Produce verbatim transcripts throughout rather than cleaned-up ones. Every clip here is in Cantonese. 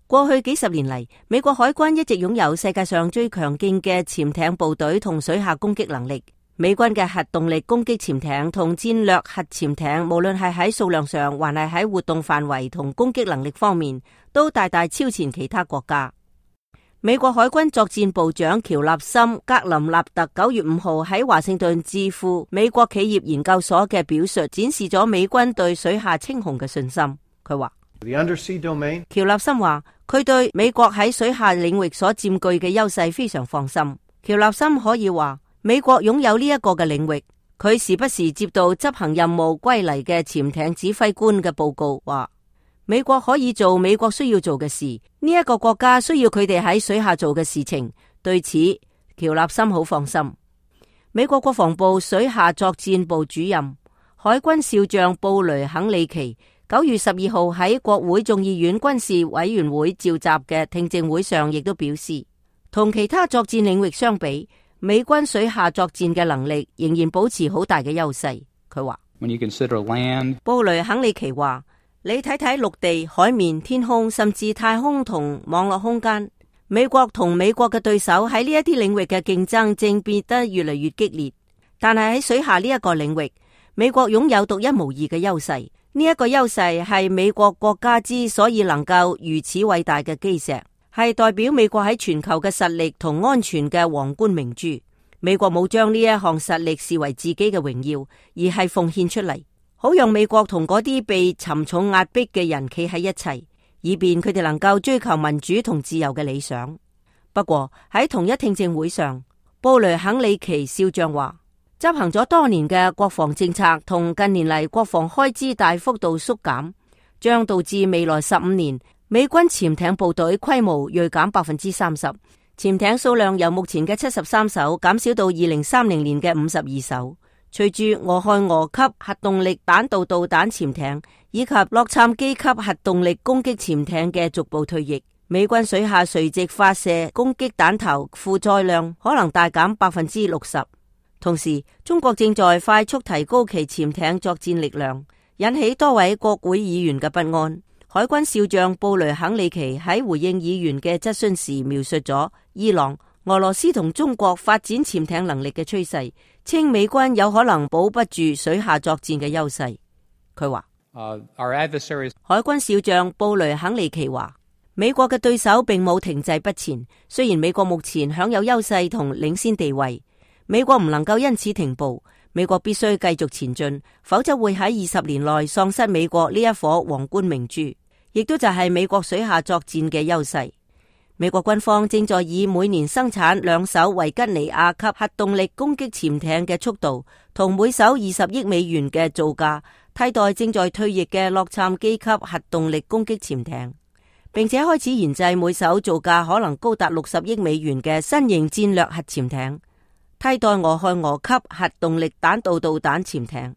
過去幾十年嚟，美國海軍一直擁有世界上最強勁嘅潛艇部隊同水下攻擊能力。美軍嘅核動力攻擊潛艇同戰略核潛艇，無論係喺數量上，還係喺活動範圍同攻擊能力方面，都大大超前其他國家。美國海軍作戰部長喬納森·格林納特九月五號喺華盛頓智庫美國企業研究所嘅表述，展示咗美軍對水下稱雄嘅信心。佢話，喬納森話佢對美國喺水下領域所佔據嘅優勢非常放心。喬納森可以話，美國擁有呢一個嘅領域，佢時不時接到執行任務歸嚟嘅潛艇指揮官嘅報告，話美國可以做美國需要做嘅事，呢一個國家需要佢哋喺水下做嘅事情。對此，喬納森好放心。美國國防部水下作戰部主任、海軍少將布雷肯里奇九月十二號喺國會眾議院軍事委員會召集嘅聽證會上，亦都表示，同其他作戰領域相比，美軍水下作戰嘅能力仍然保持好大嘅優勢。佢話，布雷肯里奇話，你睇睇陸地、海面、天空，甚至太空同網絡空間，美國同美國嘅對手喺呢一啲領域嘅競爭正變得越嚟越激烈。但係喺水下呢一個領域，美國擁有獨一無二嘅優勢。呢一個優勢係美國國家之所以能夠如此偉大嘅基石，係代表美國喺全球嘅實力同安全嘅皇冠明珠。美國冇將呢一項實力視為自己嘅榮耀，而係奉獻出嚟，好讓美國同嗰啲被沉重壓迫嘅人企喺一齊，以便佢哋能夠追求民主同自由嘅理想。不過喺同一聽證會上，布雷肯里奇少將話，執行咗多年嘅國防政策同近年嚟國防開支大幅度縮減，將導致未來十五年美軍潛艇部隊規模銳減百分之三十，潛艇數量由目前嘅七十三艘減少到二零三零年嘅五十二艘。隨住俄亥俄級核動力彈道導彈潛艇以及洛杉磯級核動力攻擊潛艇嘅逐步退役，美軍水下垂直發射攻擊彈頭負載量可能大減百分之六十。同時，中國正在快速提高其潛艇作戰力量，引起多位國會議員嘅不安。海軍少將布雷肯里奇喺回應議員嘅質詢時，描述咗伊朗、俄羅斯同中國發展潛艇能力嘅趨勢，稱美軍有可能保不住水下作戰嘅優勢。佢話，uh, our adversaries... 海軍少將布雷肯里奇話，美國嘅對手並冇停滯不前，雖然美國目前享有優勢同領先地位，美國唔能夠因此停步，美國必須繼續前進，否則會喺二十年內喪失美國呢一顆皇冠明珠，亦都就係美國水下作戰嘅優勢。美國軍方正在以每年生產兩艘維吉尼亞級核動力攻擊潛艇嘅速度，同每艘二十億美元嘅造價，替代正在退役嘅洛杉磯級核動力攻擊潛艇，並且開始研製每艘造價可能高達六十億美元嘅新型戰略核潛艇，替代俄亥俄級核動力彈道導彈潛艇。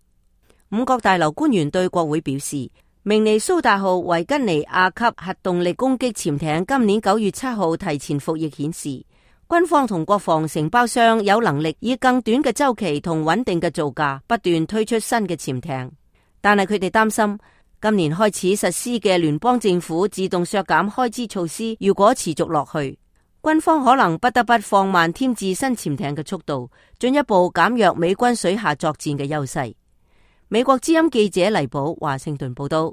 五角大樓官員對國會表示，明尼蘇達號維吉尼亞級核動力攻擊潛艇今年九月七號提前服役，顯示軍方同國防承包商有能力以更短嘅週期同穩定嘅造價不斷推出新嘅潛艇。但係佢哋擔心今年開始實施嘅聯邦政府自動削減開支措施，如果持續落去，軍方可能不得不放慢添置新潛艇嘅速度，進一步減弱美軍水下作戰嘅優勢。美國之音記者黎寶華盛頓報道。